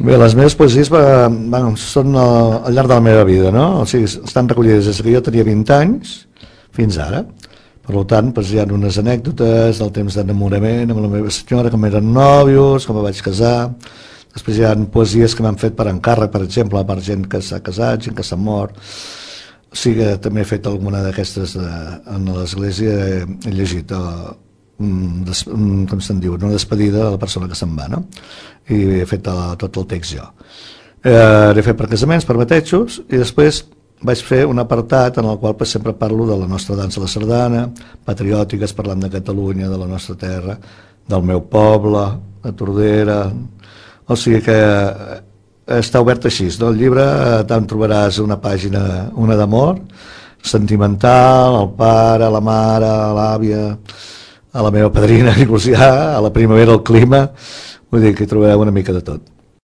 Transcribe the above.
Bé, les meves poesies són al llarg de la meva vida, no? O sigui, estan recollides des que jo tenia 20 anys fins ara. Per tant, hi ha unes anècdotes del temps d'enamorament amb la meva senyora, com eren nòvios, com em vaig casar. Després hi ha poesies que m'han fet per encàrrec, per exemple, per gent que s'ha casat, gent que s'ha mort. O sigui, també he fet alguna d'aquestes en l'església, he llegit com se'n diu, una despedida de la persona que se'n va, no? I he fet tot el text jo. L'he fet per casaments, per batejos, i després vaig fer un apartat en el qual sempre parlo de la nostra dansa de la sardana, patriòtiques, parlant de Catalunya, de la nostra terra, del meu poble, de Tordera. O sigui que està obert així, no? El llibre tant trobaràs una pàgina, una d'amor, sentimental, al pare, a la mare, a l'àvia, a la meva padrina, inclús ja, a la primavera, al clima, vull dir que hi trobareu una mica de tot.